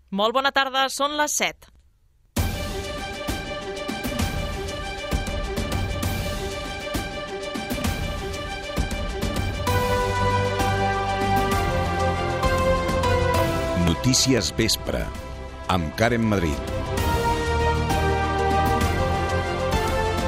Molt bona tarda, són les 7. Notícies Vespre, amb Karen Madrid.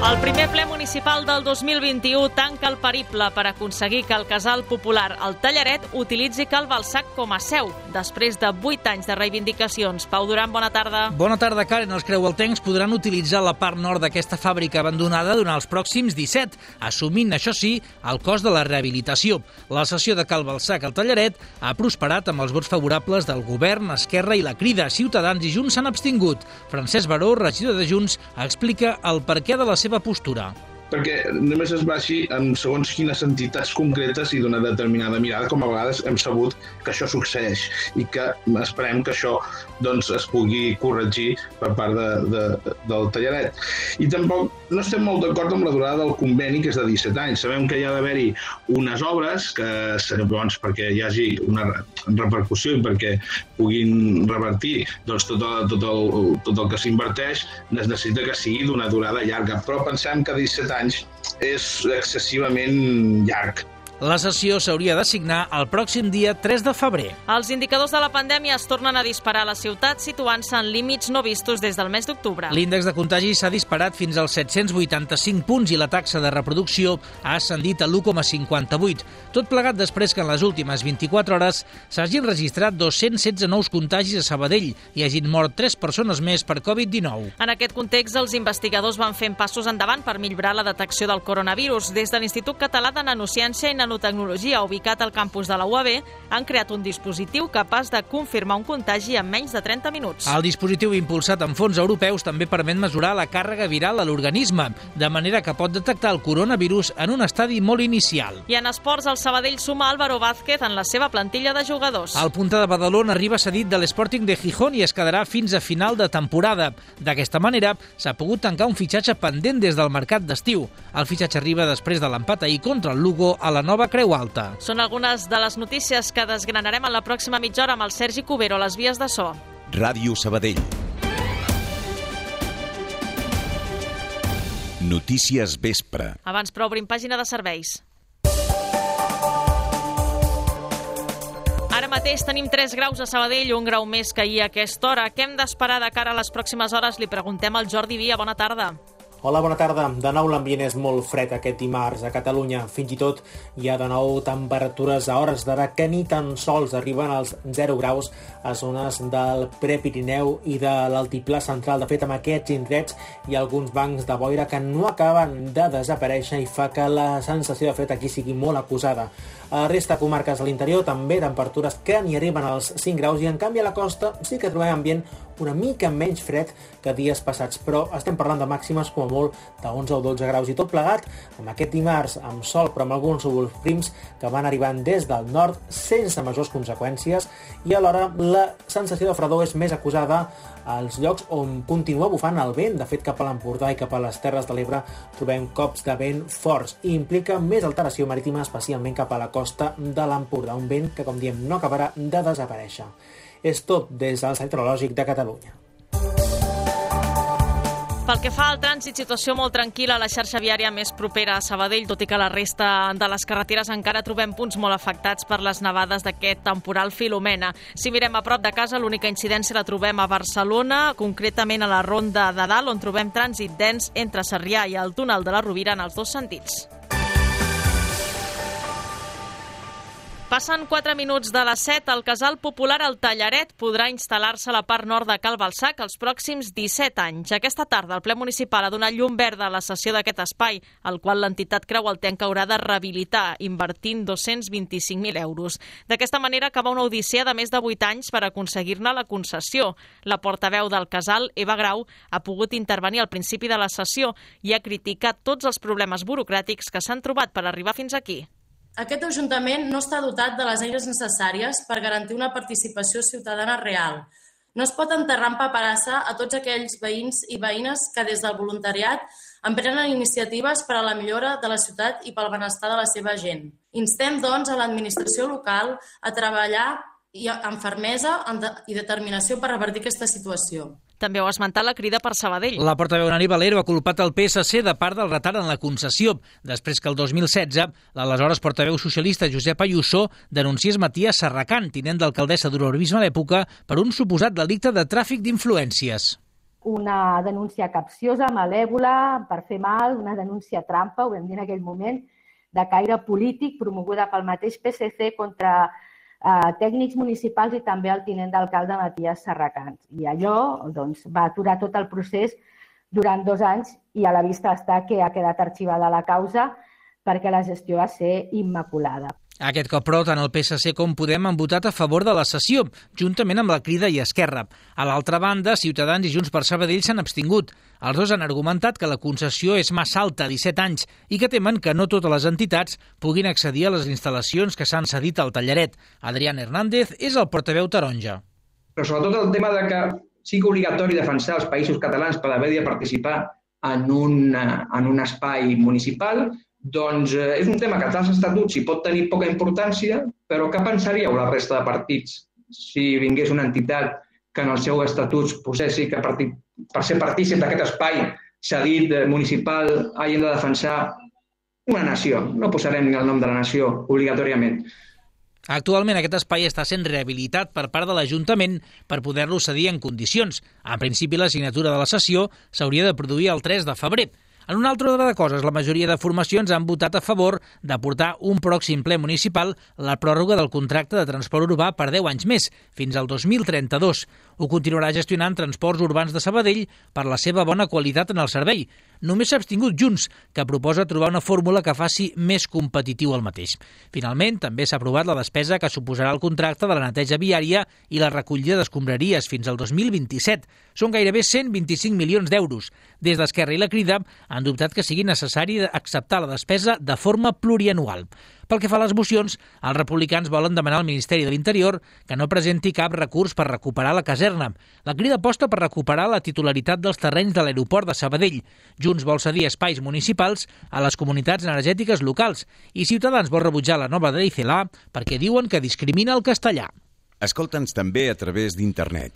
El primer ple municipal del 2021 tanca el periple per aconseguir que el casal popular El Tallaret utilitzi Cal Balsac com a seu, després de 8 anys de reivindicacions. Pau Duran, bona tarda. Bona tarda, Karen. Els creualtencs podran utilitzar la part nord d'aquesta fàbrica abandonada durant els pròxims 17, assumint, això sí, el cost de la rehabilitació. La sessió de Cal Balsac al Tallaret ha prosperat amb els vots favorables del Govern, Esquerra i la Crida. Ciutadans i Junts s'han abstingut. Francesc Baró, regidor de Junts, explica el perquè de la seva postura. Perquè només es baixi en segons quines entitats concretes i d'una determinada mirada, com a vegades hem sabut que això succeeix i que esperem que això es pugui corregir per part del Tallaret. I tampoc no estem molt d'acord amb la durada del conveni, que és de 17 anys. Sabem que hi ha d'haver-hi unes obres que seran bons perquè hi hagi una repercussió i perquè puguin revertir tot el que s'inverteix, es necessita que sigui d'una durada llarga, però pensem que 17 anys és excessivament llarg. La sessió s'hauria de signar el pròxim dia 3 de febrer. Els indicadors de la pandèmia es tornen a disparar a la ciutat, situant-se en límits no vistos des del mes d'octubre. L'índex de contagi s'ha disparat fins als 785 punts i la taxa de reproducció ha ascendit a l'1,58. Tot plegat després que en les últimes 24 hores s'hagin registrat 216 nous contagis a Sabadell i hagin mort 3 persones més per Covid-19. En aquest context, els investigadors van fent passos endavant per millorar la detecció del coronavirus. Des de l'Institut Català de Nanociència i Nanotecnologia, ubicat al campus de la UAB, han creat un dispositiu capaç de confirmar un contagi en menys de 30 minuts. El dispositiu impulsat amb fons europeus també permet mesurar la càrrega viral a l'organisme, de manera que pot detectar el coronavirus en un estadi molt inicial. I en esports, el Sabadell suma Álvaro Vázquez en la seva plantilla de jugadors. El punta de Badalona arriba cedit de l'Sporting de Gijón i es quedarà fins a final de temporada. D'aquesta manera, s'ha pogut tancar un fitxatge pendent des del mercat d'estiu. El fitxatge arriba després de l'empat ahir contra el Lugo a la Nova Creu Alta. Són algunes de les notícies que desgranarem en la pròxima mitja hora amb el Sergi Cubero a les vies de so. Ràdio Sabadell. Notícies Vespre. Abans, però, obrim pàgina de serveis. Ara mateix tenim 3 graus a Sabadell, 1 grau més que ahir a aquesta hora. Què hem d'esperar de cara a les pròximes hores? Li preguntem al Jordi Via. Bona tarda. Hola, bona tarda. De nou l'ambient és molt fred aquest dimarts a Catalunya. Fins i tot hi ha de nou temperatures a hores d'ara que ni tan sols arriben als 0 graus a zones del Prepirineu i de l'altiplà central. De fet, amb aquests indrets hi ha alguns bancs de boira que no acaben de desaparèixer i fa que la sensació de fred aquí sigui molt acusada. A la resta de comarques de l'interior també temperatures que ni arriben als 5 graus i en canvi a la costa sí que trobem ambient una mica menys fred que dies passats, però estem parlant de màximes com a molt de 11 o 12 graus i tot plegat amb aquest dimarts amb sol però amb alguns núvols prims que van arribant des del nord sense majors conseqüències i alhora la sensació de fredor és més acusada als llocs on continua bufant el vent. De fet, cap a l'Empordà i cap a les Terres de l'Ebre trobem cops de vent forts i implica més alteració marítima, especialment cap a la costa de l'Empordà, un vent que, com diem, no acabarà de desaparèixer. És tot des del Centre Meteorològic de Catalunya. Pel que fa al trànsit, situació molt tranquil·la a la xarxa viària més propera a Sabadell, tot i que la resta de les carreteres encara trobem punts molt afectats per les nevades d'aquest temporal Filomena. Si mirem a prop de casa, l'única incidència la trobem a Barcelona, concretament a la Ronda de Dalt, on trobem trànsit dens entre Sarrià i el túnel de la Rovira en els dos sentits. Passen 4 minuts de les 7. El casal popular El Tallaret podrà instal·lar-se a la part nord de Cal Balsac els pròxims 17 anys. Aquesta tarda el ple municipal ha donat llum verda a la cessió d'aquest espai, el qual l'entitat creualtenca haurà de rehabilitar, invertint 225.000 euros. D'aquesta manera acaba una odissea de més de 8 anys per aconseguir-ne la concessió. La portaveu del casal, Eva Grau, ha pogut intervenir al principi de la sessió i ha criticat tots els problemes burocràtics que s'han trobat per arribar fins aquí. Aquest Ajuntament no està dotat de les eines necessàries per garantir una participació ciutadana real. No es pot enterrar en paperassa a tots aquells veïns i veïnes que des del voluntariat emprenen iniciatives per a la millora de la ciutat i pel benestar de la seva gent. Instem, doncs, a l'administració local a treballar i amb fermesa i determinació per revertir aquesta situació. També ho ha esmentat la Crida per Sabadell. La portaveu Nani Valero ha culpat el PSC de part del retard en la concessió, després que el 2016 l'aleshores portaveu socialista Josep Ayuso denunciés Matías Serracant, tinent d'alcaldessa d'Urbanisme a l'època, per un suposat delicte de tràfic d'influències. Una denúncia capciosa, malèvola, per fer mal, una denúncia trampa, ho vam dir en aquell moment, de caire polític, promoguda pel mateix PSC contra tècnics municipals i també el tinent d'alcalde Matías Serracant. I allò va aturar tot el procés durant 2 anys i a la vista està que ha quedat arxivada la causa perquè la gestió va ser immaculada. Aquest cop, però, tant el PSC com Podem han votat a favor de la sessió, juntament amb la Crida i Esquerra. A l'altra banda, Ciutadans i Junts per Sabadell s'han abstingut. Els dos han argumentat que la concessió és massa alta, 17 anys, i que temen que no totes les entitats puguin accedir a les instal·lacions que s'han cedit al Tallaret. Adrián Hernández és el portaveu taronja. Però sobretot el tema de que sigui obligatori defensar els països catalans per haver de participar en un espai municipal, doncs és un tema que als estatuts hi pot tenir poca importància, però què pensaríeu la resta de partits si vingués una entitat que en els seus estatuts posessi que per ser partícip d'aquest espai cedit municipal hagin de defensar una nació? No posarem ni el nom de la nació obligatòriament. Actualment aquest espai està sent rehabilitat per part de l'Ajuntament per poder-lo cedir en condicions. En principi, la signatura de la sessió s'hauria de produir el 3 de febrer. En un altre ordre de coses, la majoria de formacions han votat a favor de portar un pròxim ple municipal la pròrroga del contracte de transport urbà per 10 anys més, fins al 2032. Ho continuarà gestionant Transports Urbans de Sabadell per la seva bona qualitat en el servei. Només s'ha abstingut Junts, que proposa trobar una fórmula que faci més competitiu el mateix. Finalment, també s'ha aprovat la despesa que suposarà el contracte de la neteja viària i la recollida d'escombraries fins al 2027. Són gairebé 125 milions d'euros. Des d'Esquerra i la Crida han dubtat que sigui necessari acceptar la despesa de forma plurianual. Pel que fa a les mocions, els republicans volen demanar al Ministeri de l'Interior que no presenti cap recurs per recuperar la caserna. La Crida aposta per recuperar la titularitat dels terrenys de l'aeroport de Sabadell. Junts vol cedir espais municipals a les comunitats energètiques locals i Ciutadans vol rebutjar la nova llei CELA perquè diuen que discrimina el castellà. Escolta'ns també a través d'internet.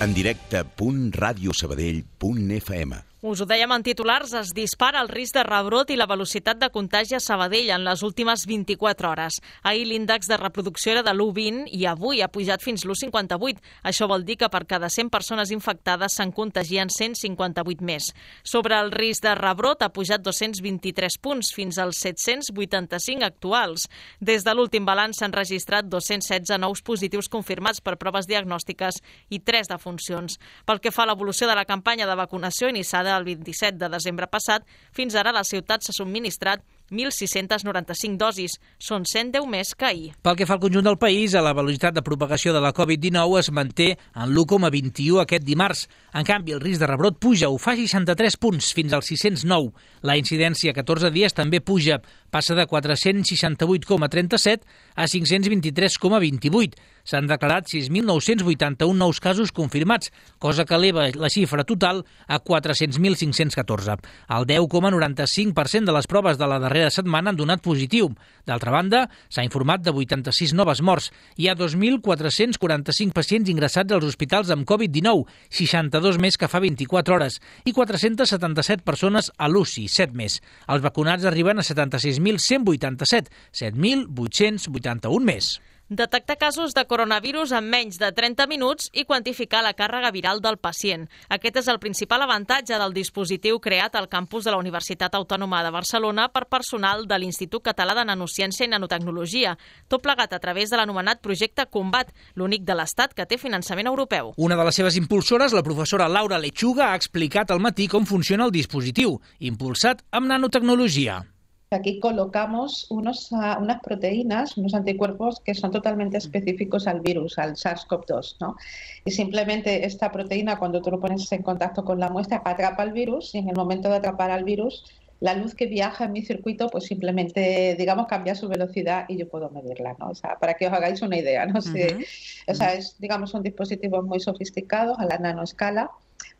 En directe .radiosabadell.fm. Us ho dèiem en titulars, es dispara el risc de rebrot i la velocitat de contagi a Sabadell en les últimes 24 hores. Ahir l'índex de reproducció era de l'1,20 i avui ha pujat fins l'1,58. Això vol dir que per cada 100 persones infectades se'n contagien 158 més. Sobre el risc de rebrot ha pujat 223 punts fins als 785 actuals. Des de l'últim balanç s'han registrat 216 nous positius confirmats per proves diagnòstiques i 3 defuncions. Pel que fa a l'evolució de la campanya de vacunació iniciada el 27 de desembre passat, fins ara la ciutat s'ha subministrat 1.695 dosis. Són 110 més que ahir. Pel que fa al conjunt del país, la velocitat de propagació de la Covid-19 es manté en l'1,21 aquest dimarts. En canvi, el risc de rebrot puja, ho fa 63 punts, fins als 609. La incidència a 14 dies també puja, passa de 468,37 a 523,28. S'han declarat 6.981 nous casos confirmats, cosa que eleva la xifra total a 400.514. El 10,95% de les proves de la darrera setmana han donat positiu. D'altra banda, s'ha informat de 86 noves morts. Hi ha 2.445 pacients ingressats als hospitals amb Covid-19, 62 més que fa 24 hores, i 477 persones a l'UCI, 7 més. Els vacunats arriben a 76.187, 7.881 més. Detectar casos de coronavirus en menys de 30 minuts i quantificar la càrrega viral del pacient. Aquest és el principal avantatge del dispositiu creat al campus de la Universitat Autònoma de Barcelona per personal de l'Institut Català de Nanociència i Nanotecnologia, tot plegat a través de l'anomenat projecte Combat, l'únic de l'Estat que té finançament europeu. Una de les seves impulsores, la professora Laura Lechuga, ha explicat al matí com funciona el dispositiu, impulsat amb nanotecnologia. Aquí colocamos unas proteínas, unos anticuerpos que son totalmente específicos al virus, al SARS-CoV-2, ¿no? Y simplemente esta proteína, cuando tú lo pones en contacto con la muestra, atrapa al virus y en el momento de atrapar al virus, la luz que viaja en mi circuito, pues simplemente, digamos, cambia su velocidad y yo puedo medirla, ¿no? O sea, para que os hagáis una idea, ¿no? O sea, es, digamos, son dispositivos muy sofisticados a la nanoescala,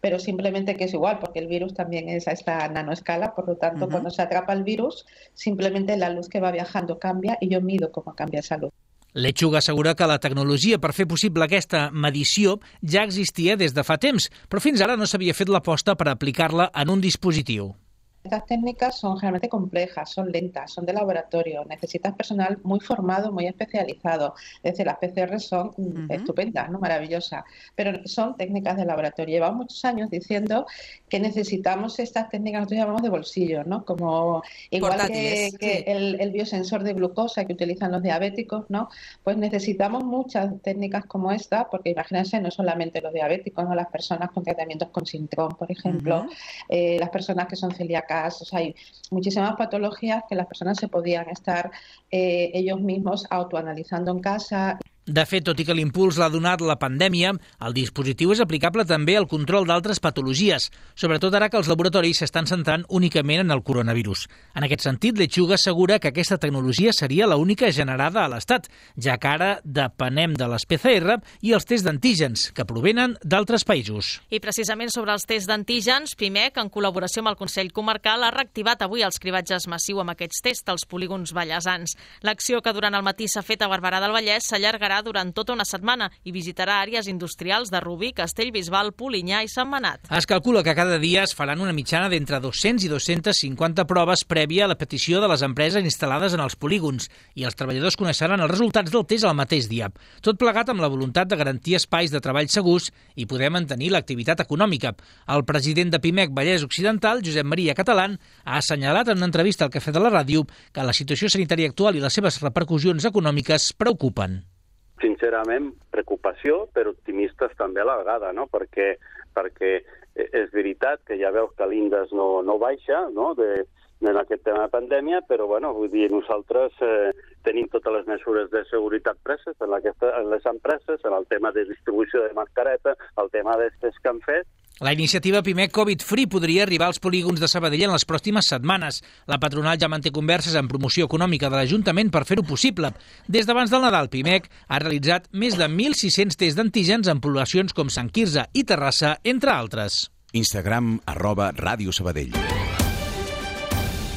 pero simplemente que es igual, porque el virus también es a esta nanoescala, por lo tanto, cuando se atrapa el virus, simplemente la luz que va viajando cambia y yo mido cómo cambia esa luz. Lechuga assegura que la tecnologia per fer possible aquesta medició ja existia des de fa temps, però fins ara no s'havia fet l'aposta per aplicar-la en un dispositiu. Estas técnicas son realmente complejas, son lentas, son de laboratorio. Necesitas personal muy formado, muy especializado. Es decir, las PCR son estupendas, ¿no? Maravillosas, pero son técnicas de laboratorio. Llevamos muchos años diciendo que necesitamos estas técnicas, nosotros llamamos de bolsillo, ¿no? Como igual que el biosensor de glucosa que utilizan los diabéticos, ¿no? Pues necesitamos muchas técnicas como esta, porque imagínense, no solamente los diabéticos, ¿no? Las personas con tratamientos con síndrome, por ejemplo, las personas que son celíacas. O sea, hay muchísimas patologías que las personas se podían estar ellos mismos autoanalizando en casa. De fet, tot i que l'impuls l'ha donat la pandèmia, el dispositiu és aplicable també al control d'altres patologies, sobretot ara que els laboratoris s'estan centrant únicament en el coronavirus. En aquest sentit, Lechuga assegura que aquesta tecnologia seria l'única generada a l'Estat, ja que ara depenem de les PCR i els tests d'antígens, que provenen d'altres països. I precisament sobre els tests d'antígens, PIMEC, en col·laboració amb el Consell Comarcal, ha reactivat avui els cribatges massius amb aquests tests als polígons vallesans. L'acció, que durant el matí s'ha fet a Barberà del Vallès, s'allargarà durant tota una setmana i visitarà àrees industrials de Rubí, Castellbisbal, Polinyà i Sentmenat. Es calcula que cada dia es faran una mitjana d'entre 200 i 250 proves prèvia a la petició de les empreses instal·lades en els polígons i els treballadors coneixeran els resultats del test el mateix dia. Tot plegat amb la voluntat de garantir espais de treball segurs i poder mantenir l'activitat econòmica. El president de PIMEC Vallès Occidental, Josep Maria Catalán, ha assenyalat en una entrevista al Cafè de la Ràdio que la situació sanitària actual i les seves repercussions econòmiques preocupen. Sincerament, preocupació, però optimistes també a la vegada, no? Perquè és veritat que ja veus que l'índex no baixa, no?, en aquest tema de pandèmia, però, bueno, vull dir, nosaltres tenim totes les mesures de seguretat preses en les empreses, en el tema de distribució de mascareta, el tema dels tests que han fet. La iniciativa PIMEC Covid Free podria arribar als polígons de Sabadell en les pròximes setmanes. La patronal ja manté converses en promoció econòmica de l'Ajuntament per fer-ho possible. Des d'abans del Nadal, PIMEC ha realitzat més de 1.600 tests d'antígens en poblacions com Sant Quirze i Terrassa, entre altres. Instagram @Ràdio Sabadell.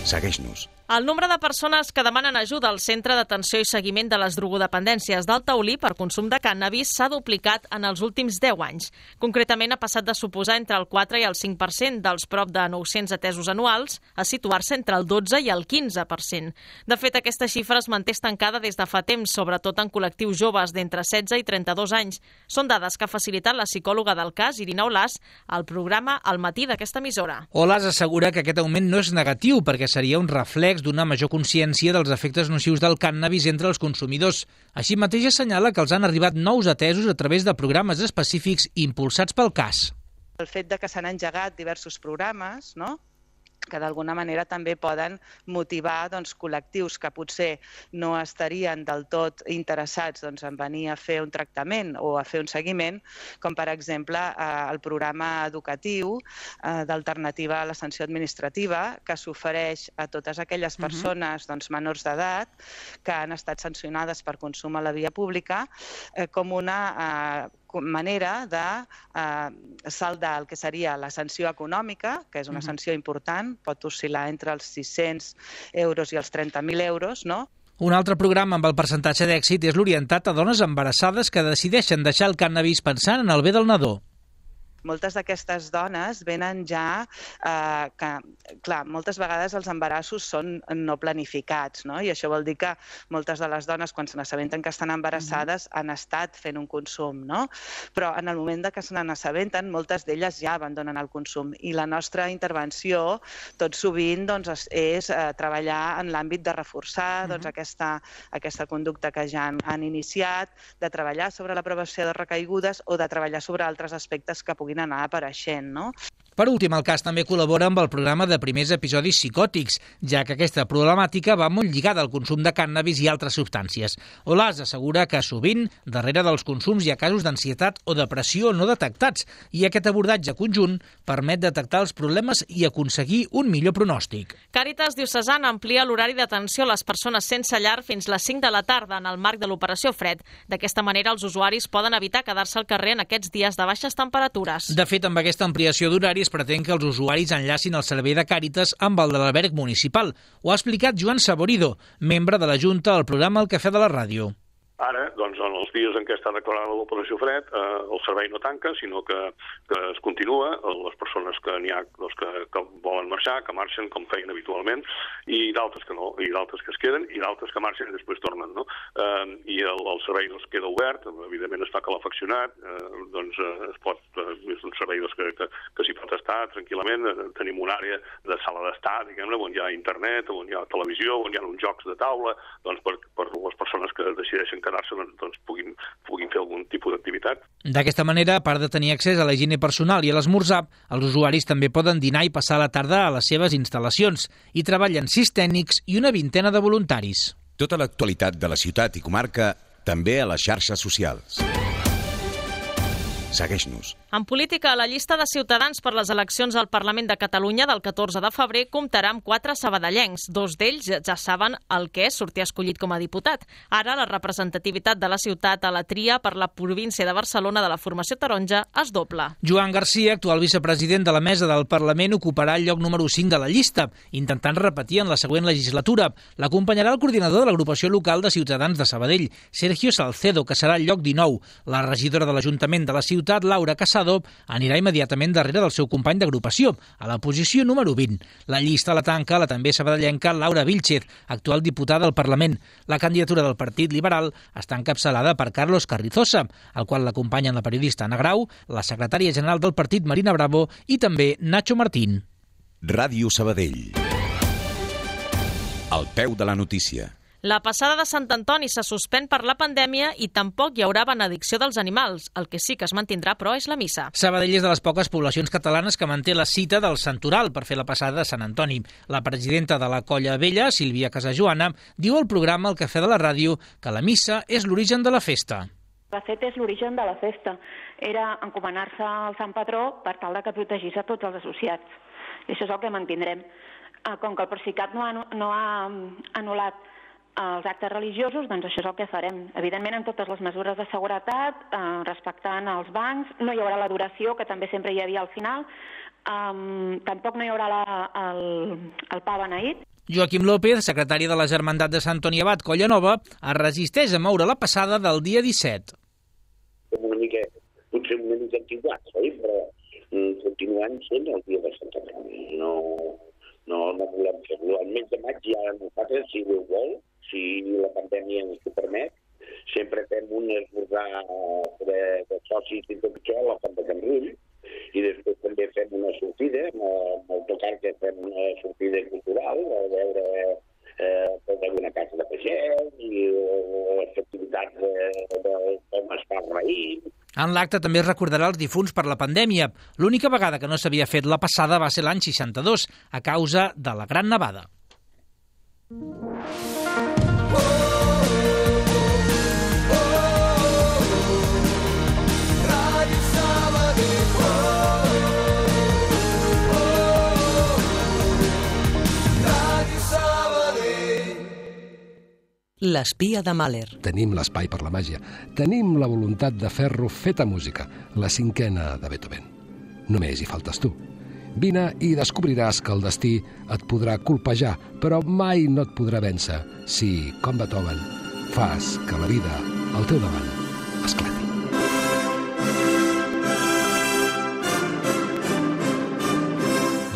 Segueix-nos. El nombre de persones que demanen ajuda al Centre d'Atenció i Seguiment de les Drogodependències del Taulí per consum de cànnabis s'ha duplicat en els últims 10 anys. Concretament, ha passat de suposar entre el 4 i el 5% dels prop de 900 atesos anuals a situar-se entre el 12 i el 15%. De fet, aquesta xifra es manté estancada des de fa temps, sobretot en col·lectius joves d'entre 16 i 32 anys. Són dades que ha facilitat la psicòloga del cas, Irina Olàs, al programa Al matí d'aquesta emissora. Olàs assegura que aquest augment no és negatiu perquè seria un reflex d'una major consciència dels efectes nocius del cànnabis entre els consumidors. Així mateix assenyala que els han arribat nous atesos a través de programes específics impulsats pel cas. El fet de que s'han engegat diversos programes, no?, que d'alguna manera també poden motivar col·lectius que potser no estarien del tot interessats en venir a fer un tractament o a fer un seguiment, com per exemple el programa educatiu d'alternativa a la sanció administrativa que s'ofereix a totes aquelles persones menors d'edat que han estat sancionades per consum a la via pública com una manera de saldar el que seria la sanció econòmica, que és una sanció important, pot oscil·lar entre els 600 euros i els 30.000 euros, no? Un altre programa amb el percentatge d'èxit és l'orientat a dones embarassades que decideixen deixar el cànnabis pensant en el bé del nadó. Moltes d'aquestes dones venen ja que, clar, moltes vegades els embarassos són no planificats, no? I això vol dir que moltes de les dones, quan se n'assabenten que estan embarassades, han estat fent un consum, no? Però en el moment que se n'assabenten, moltes d'elles ja abandonen el consum. I la nostra intervenció, tot sovint, és treballar en l'àmbit de reforçar aquesta conducta que ja han iniciat, de treballar sobre la prevenció de recaigudes o de treballar sobre altres aspectes que puguin anar apareixent, no? Per últim, el cas també col·labora amb el programa de primers episodis psicòtics, ja que aquesta problemàtica va molt lligada al consum de cànnabis i altres substàncies. Olàs assegura que sovint, darrere dels consums hi ha casos d'ansietat o depressió no detectats, i aquest abordatge conjunt permet detectar els problemes i aconseguir un millor pronòstic. Càritas Diocesana amplia l'horari d'atenció a les persones sense llar fins les 5 de la tarda en el marc de l'Operació Fred. D'aquesta manera, els usuaris poden evitar quedar-se al carrer en aquests dies de baixes temperatures. De fet, amb aquesta ampliació d'horari es pretén que els usuaris enllacin el servei de Càritas amb el de l'alberg municipal. Ho ha explicat Joan Saborido, membre de la Junta al programa El Cafè de la Ràdio. Ara, doncs, en els dies en què està declarada l'operació fred, el servei no tanca, sinó que es continua. Les persones que n'hi ha que volen marxar, que marxen com feien habitualment, i d'altres que no, i d'altres que es queden, i d'altres que marxen i després tornen, no? I el servei queda obert, evidentment està calefaccionat, doncs és un servei que s'hi pot estar tranquil·lament. Tenim una àrea de sala d'estar, diguem-ne, on hi ha internet, on hi ha televisió, on hi ha uns jocs de taula, doncs per les persones que decideixen quedar-se doncs puguin fer algun tipus d'activitat. D'aquesta manera, a part de tenir accés a la higiene personal i a l'esmorzar, els usuaris també poden dinar i passar la tarda a les seves instal·lacions. Hi treballen 6 tècnics i una vintena de voluntaris. Tota l'actualitat de la ciutat i comarca també a les xarxes socials. Segueix-nos. En política, la llista de Ciutadans per les eleccions al Parlament de Catalunya del 14 de febrer comptarà amb 4 sabadellencs. 2 d'ells ja saben el que és sortir escollit com a diputat. Ara, la representativitat de la ciutat a la tria per la província de Barcelona de la formació taronja es dobla. Joan Garcia, actual vicepresident de la mesa del Parlament, ocuparà el lloc número 5 de la llista, intentant repetir en la següent legislatura. L'acompanyarà el coordinador de l'agrupació local de Ciutadans de Sabadell, Sergio Salcedo, que serà el lloc 19. La regidora de l'Ajuntament de la ciutat, Laura Casado, anirà immediatament darrere del seu company d'agrupació, a la posició número 20. La llista la tanca la també sabadellenca Laura Vilchez, actual diputada al Parlament. La candidatura del Partit Liberal està encapçalada per Carlos Carrizosa, al qual l'acompanyen la periodista Ana Grau, la secretària general del partit Marina Bravo i també Nacho Martín. Ràdio Sabadell. Al peu de la notícia. La passada de Sant Antoni se suspèn per la pandèmia i tampoc hi haurà benedicció dels animals. El que sí que es mantindrà, però, és la missa. Sabadell és de les poques poblacions catalanes que manté la cita del Santoral per fer la passada de Sant Antoni. La presidenta de la Colla Vella, Sílvia Casajoana, diu al programa El Cafè de la Ràdio que la missa és l'origen de la festa. De fet, és l'origen de la festa. Era encomanar-se al Sant Patró per tal de que protegís a tots els associats. I això és el que mantindrem. Com que el Procicat no ha anul·lat els actes religiosos, doncs això és el que farem. Evidentment, amb totes les mesures de seguretat, respectant els bancs, no hi haurà l'adoració, que també sempre hi havia al final, tampoc no hi haurà el pa beneït. Joaquim López, secretari de la Germandat de Sant Antoni Abat Colla Nova, es resisteix a moure la passada del dia 17. Potser una mica antiguat, però continuant sent el dia de Sant Antoni. No volem fer-lo. Al mes de maig ja nosaltres, si ho vol, si la pandèmia ens ho permet, sempre fem un esmorzar de socis i tot això a la Font de Can Rull, i després també fem una sortida, amb el tocar que fem una sortida cultural, a veure alguna casa de pagès i les activitats de com es fa el raïm. En l'acte també es recordarà els difunts per la pandèmia. L'única vegada que no s'havia fet la passada va ser l'any 62, a causa de la Gran Nevada. L'espia de Mahler. Tenim l'espai per la màgia. Tenim la voluntat de fer-lo feta música, la 5a de Beethoven. Només hi faltes tu. Vine i descobriràs que el destí et podrà colpejar, però mai no et podrà vèncer si, com Beethoven, fas que la vida al teu davant esclati.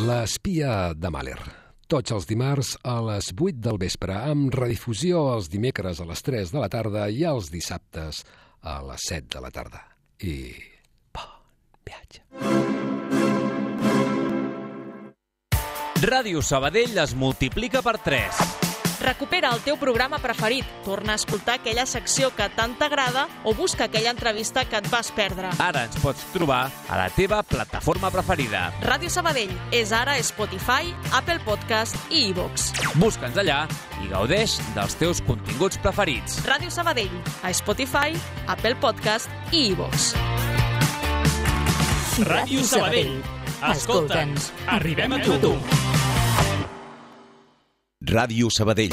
L'espia de Mahler. Tots els dimarts a les 8 del vespre, amb redifusió els dimecres a les 3 de la tarda i els dissabtes a les 7 de la tarda. I bon viatge. Ràdio Sabadell es multiplica per 3. Recupera el teu programa preferit, torna a escoltar aquella secció que tant t'agrada o busca aquella entrevista que et vas perdre. Ara ens pots trobar a la teva plataforma preferida. Ràdio Sabadell és ara Spotify, Apple Podcast i iVoox. Busca'ns allà i gaudeix dels teus continguts preferits. Ràdio Sabadell, a Spotify, Apple Podcast i iVoox. Ràdio Sabadell. Escolta'ns, arribem a tu. Ràdio Sabadell.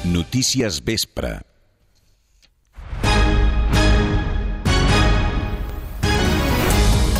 Notícies Vespre.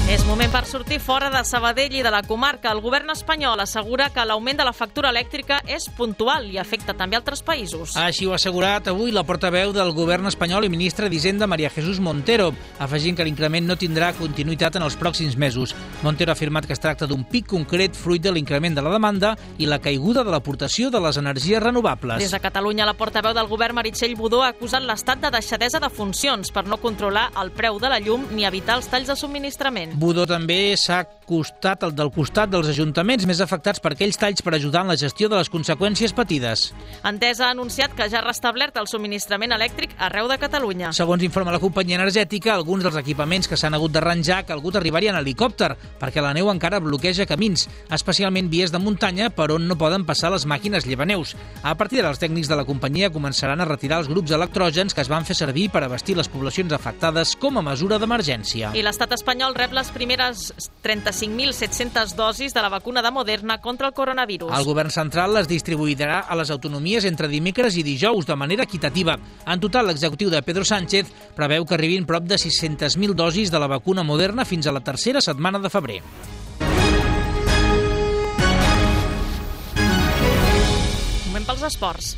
És moment per sortir fora de Sabadell i de la comarca. El govern espanyol assegura que l'augment de la factura elèctrica és puntual i afecta també altres països. Així ho ha assegurat avui la portaveu del govern espanyol i ministra d'Hisenda, María Jesús Montero, afegint que l'increment no tindrà continuïtat en els pròxims mesos. Montero ha afirmat que es tracta d'un pic concret fruit de l'increment de la demanda i la caiguda de l'aportació de les energies renovables. Des de Catalunya, la portaveu del govern, Meritxell Budó, ha acusat l'Estat de deixadesa de funcions per no controlar el preu de la llum ni evitar els talls de subministrament. Budó també s'ha costat del costat dels ajuntaments més afectats per aquells talls per ajudar en la gestió de les conseqüències patides. Endesa ha anunciat que ja ha restablert el subministrament elèctric arreu de Catalunya. Segons informa la companyia energètica, alguns dels equipaments que s'han hagut d'arranjar ha calgut arribar-hi en helicòpter, perquè la neu encara bloqueja camins, especialment vies de muntanya per on no poden passar les màquines llevaneus. A partir d'ara, els tècnics de la companyia començaran a retirar els grups electrògens que es van fer servir per abastir les poblacions afectades com a mesura d'emergència. I l'estat espanyol rep les primeres 35.700 dosis de la vacuna de Moderna contra el coronavirus. El govern central les distribuirà a les autonomies entre dimecres i dijous de manera equitativa. En total, l'executiu de Pedro Sánchez preveu que arribin prop de 600.000 dosis de la vacuna Moderna fins a la tercera setmana de febrer. Moment pels esports.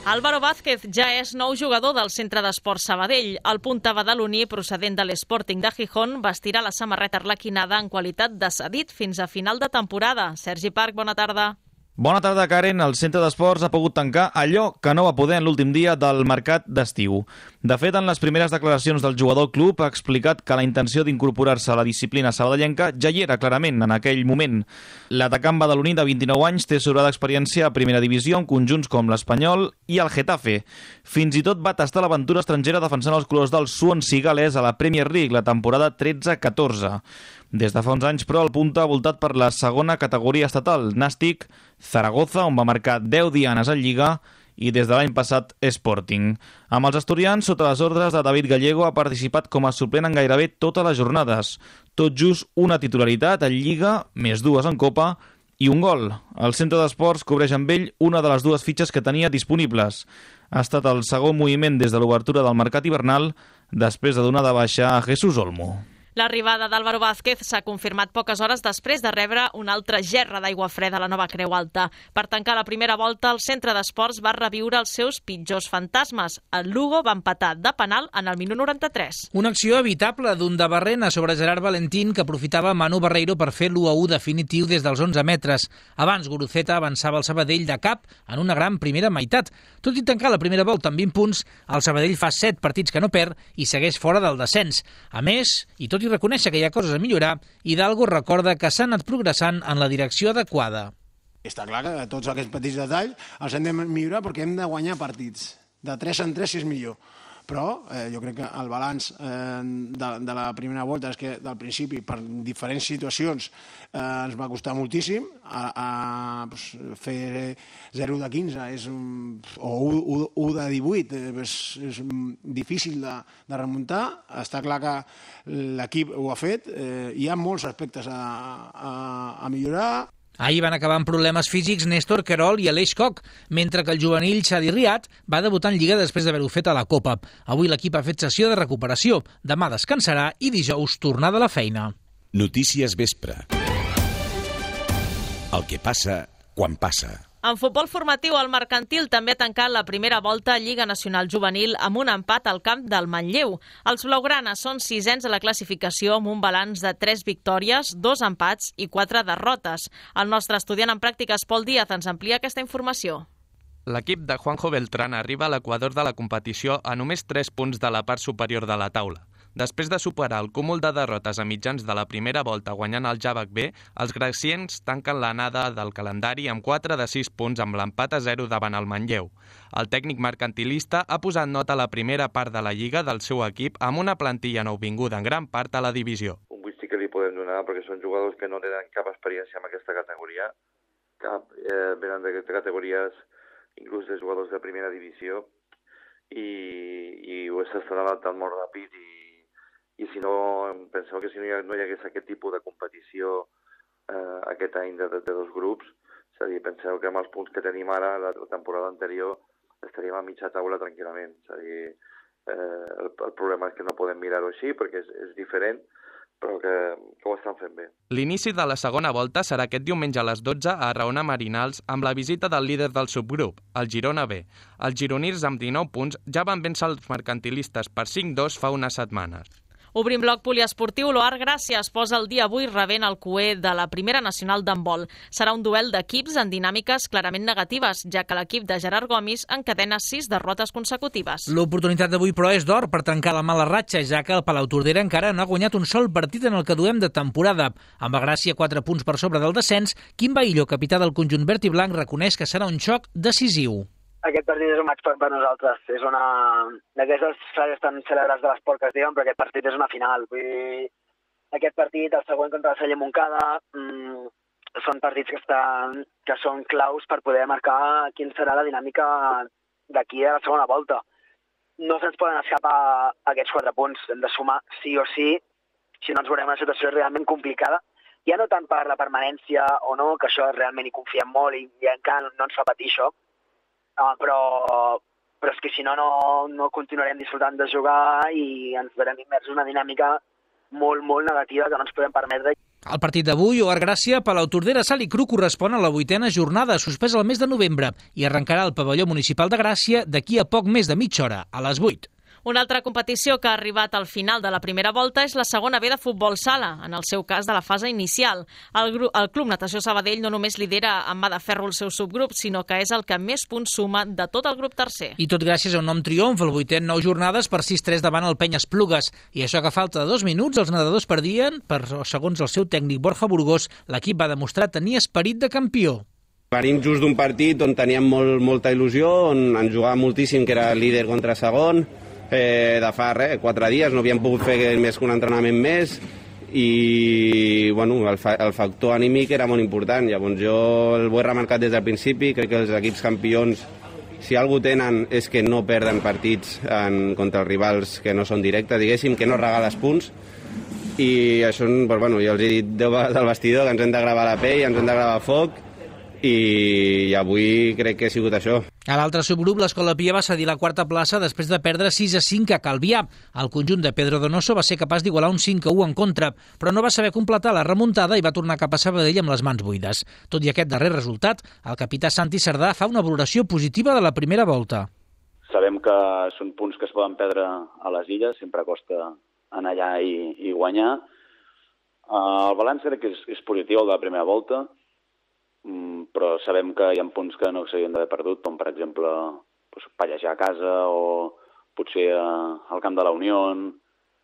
Álvaro Vázquez ja és nou jugador del Centre d'Esports Sabadell. El punta badaloní, procedent de l'Sporting de Gijón, vestirà la samarreta arlequinada en qualitat de cedit fins a final de temporada. Sergi Parc, bona tarda. Bona tarda, Karen. El Centre d'Esports ha pogut tancar allò que no va poder en l'últim dia del mercat d'estiu. De fet, en les primeres declaracions del jugador club ha explicat que la intenció d'incorporar-se a la disciplina sabadellenca ja hi era clarament en aquell moment. L'atacant badaloní de 29 anys té sobrada experiència a primera divisió en conjunts com l'Espanyol i el Getafe. Fins i tot va tastar l'aventura estrangera defensant els colors del Swansea galès a la Premier League la temporada 13-14. Des de fa uns anys, però, el punta ha voltat per la segona categoria estatal, Nàstic, Zaragoza, on va marcar 10 dianes en Lliga, i des de l'any passat Sporting. Amb els asturians, sota les ordres de David Gallego, ha participat com a suplent en gairebé totes les jornades. Tot just una titularitat en Lliga, més 2 en Copa, i un gol. El Centre d'Esports cobreix amb ell una de les 2 fitxes que tenia disponibles. Ha estat el segon moviment des de l'obertura del mercat hivernal, després de donar de baixa a Jesús Olmo. L'arribada d'Álvaro Vázquez s'ha confirmat poques hores després de rebre una altra gerra d'aigua freda a la nova Creu Alta. Per tancar la primera volta, el Centre d'Esports va reviure els seus pitjors fantasmes. El Lugo va empatar de penal en el minut 93. Una acció evitable d'un de Barrena sobre Gerard Valentín que aprofitava Manu Barreiro per fer l'1-1 definitiu des dels 11 metres. Abans, Guruceta avançava el Sabadell de cap en una gran primera meitat. Tot i tancar la primera volta amb 20 punts, el Sabadell fa 7 partits que no perd i segueix fora del descens. A més, i tot i reconèixer que hi ha coses a millorar, Hidalgo recorda que s'ha anat progressant en la direcció adequada. Està clar que tots aquests petits detalls els hem de millorar perquè hem de guanyar partits. De 3 en 3 si és millor. Però jo crec que el balanç de la primera volta és que del principi, per diferents situacions, ens va costar moltíssim. Fer 0 de 15 o 1 de 18 és difícil de remuntar. Està clar que l'equip ho ha fet. Hi ha molts aspectes a millorar. Ahir van acabar amb problemes físics Néstor Querol i Aleix Koch, mentre que el juvenil Xadi Riat va debutar en Lliga després d'haver-ho fet a la Copa. Avui l'equip ha fet sessió de recuperació, demà descansarà i dijous tornada a la feina. Notícies vespre. El que passa quan passa. En futbol formatiu, el Mercantil també ha tancat la primera volta a Lliga Nacional Juvenil amb un empat al camp del Manlleu. Els blaugranes són 6ens a la classificació amb un balanç de 3 victòries, 2 empats i 4 derrotes. El nostre estudiant en pràctiques, Pol Díaz, ens amplia aquesta informació. L'equip de Juanjo Beltrán arriba a l'equador de la competició a només 3 punts de la part superior de la taula. Després de superar el cúmul de derrotes a mitjans de la primera volta guanyant el Javac B, els graciens tanquen l'anada del calendari amb 4 de 6 punts amb l'empat a 0 davant el Manlleu. El tècnic mercantilista ha posat nota a la primera part de la Lliga del seu equip amb una plantilla nouvinguda en gran part a la divisió. Un whisky que li podem donar perquè són jugadors que no tenen cap experiència en aquesta categoria, venen de categories inclús de jugadors de primera divisió i ho s'estan adaptant molt ràpid i si no, penseu que si no hi hagués aquest tipus de competició aquest any de 2 grups, és a dir, penseu que amb els punts que tenim ara, la temporada anterior, estaríem a mitja taula tranquil·lament. És a dir, El problema és que no podem mirar-ho així perquè és diferent, però que ho estan fent bé. L'inici de la segona volta serà aquest diumenge a les 12 a Raona Marinals amb la visita del líder del subgrup, el Girona B. Els gironins amb 19 punts ja van vèncer els mercantilistes per 5-2 fa unes setmanes. Obrim bloc poliesportiu. L'Oar Gràcia es posa el dia avui rebent el cuer de la Primera Nacional d'handbol. Serà un duel d'equips en dinàmiques clarament negatives, ja que l'equip de Gerard Gomis encadena 6 derrotes consecutives. L'oportunitat d'avui, però, és d'or per trencar la mala ratxa, ja que el Palautordera encara no ha guanyat un sol partit en el que duem de temporada. Amb el Gràcia 4 punts per sobre del descens, Quim Baillo, capità del conjunt verd i blanc, reconeix que serà un xoc decisiu. Aquest partit és un match per nosaltres. És una d'aquestes frases tan cèlebres de l'esport que es diuen, però aquest partit és una final. Vull dir, aquest partit, el següent contra el Celler Montcada, són partits que són claus per poder marcar quina serà la dinàmica d'aquí a la segona volta. No se'ns poden escapar aquests 4 punts. Hem de sumar sí o sí, si no ens veurem en una situació realment complicada. Ja no tant per la permanència o no, que això realment hi confiem molt i encara no ens fa patir això, però és que si no continuarem disfrutant de jugar i ens verem immersos en una dinàmica molt, molt negativa que no ens podem permetre. El partit d'avui, Oar Gràcia, Palautordera, Salt i Cru, correspon a la 8ª jornada, suspesa el mes de novembre, i arrencarà al pavelló municipal de Gràcia d'aquí a poc més de mitja hora, a les 8. Una altra competició que ha arribat al final de la primera volta és la segona B de futbol sala, en el seu cas de la fase inicial. El Club Natació Sabadell no només lidera amb mà de ferro el seu subgrup, sinó que és el que més punts suma de tot el grup tercer. I tot gràcies a un nom triomf, el 8è en 9 jornades per 6-3 davant el Penya Esplugues. I això que a falta de 2 minuts els nedadors perdien, però segons el seu tècnic Borja Burgos, l'equip va demostrar tenir esperit de campió. Venim just d'un partit on teníem molta il·lusió, on ens jugava moltíssim, que era líder contra segon, de fa 4 dies, no havíem pogut fer més que un entrenament més i bueno, el factor anímic era molt important. Llavors jo ho he remarcat des del principi, crec que els equips campions, si alguna tenen, és que no perden partits contra els rivals que no són directes, diguéssim, que no regales punts, i això, bueno, jo els he dit 10 vegades al vestidor que ens hem de gravar la pell, ens hem de gravar foc, i avui crec que ha sigut això. A l'altre subgrup, l'Escola Pia va cedir la 4a plaça després de perdre 6-5 a Calvià. El conjunt de Pedro Donoso va ser capaç d'igualar un 5-1 en contra, però no va saber completar la remuntada i va tornar cap a Sabadell amb les mans buides. Tot i aquest darrer resultat, el capità Santi Cerdà fa una valoració positiva de la primera volta. Sabem que són punts que es poden perdre a les illes, sempre costa anar allà i guanyar. El balanç crec que és positiu, el de la primera volta, però sabem que hi ha punts que no s'haurien d'haver perdut, com per exemple pallejar a casa o potser al camp de la Unió.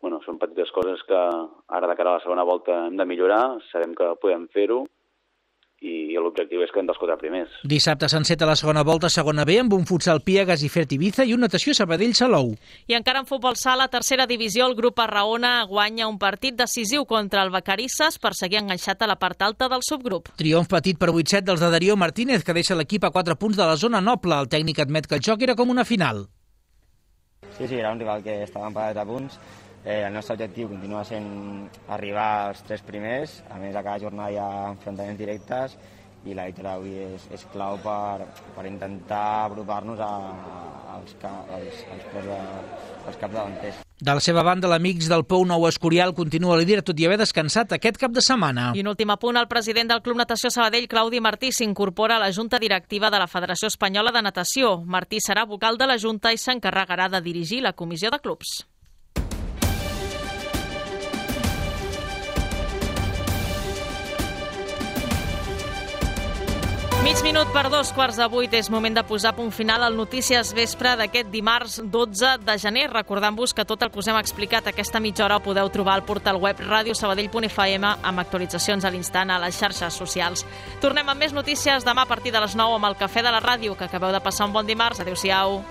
Bueno, són petites coses que ara de cara a la segona volta hem de millorar, sabem que podem fer-ho i l'objectiu és que hem dels 4 primers. Dissabte s'enceta la segona volta, segona B, amb un futsal Piegas i Fert Ibiza i un natació Sabadell-Salou. I encara en futbol sala, tercera divisió, el grup Arraona guanya un partit decisiu contra el Vacarisses per seguir enganxat a la part alta del subgrup. Triomf petit per 8-7 dels de Darío Martínez, que deixa l'equip a 4 punts de la zona noble. El tècnic admet que el joc era com una final. Sí, era un rival que estava empatat a punts. El nostre objectiu continua sent arribar als 3 primers. A més, a cada jornada hi ha enfrontaments directes i la victòria avui és clau per intentar apropar-nos als capdavanters. De la seva banda, l'Amics del Pou Nou Escorial continua líder tot i haver descansat aquest cap de setmana. I un últim apunt, el president del Club Natació Sabadell, Claudi Martí, s'incorpora a la Junta Directiva de la Federació Espanyola de Natació. Martí serà vocal de la Junta i s'encarregarà de dirigir la comissió de clubs. Mig minut per 7:45, és moment de posar punt final al Notícies Vespre d'aquest dimarts 12 de gener. Recordant-vos que tot el que us hem explicat aquesta mitja hora ho podeu trobar al portal web radiosabadell.fm amb actualitzacions a l'instant a les xarxes socials. Tornem amb més notícies demà a partir de les 9 amb el Cafè de la Ràdio. Que acabeu de passar un bon dimarts. Adéu-siau.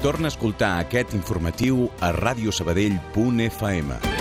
Torna a escoltar aquest informatiu a radiosabadell.fm.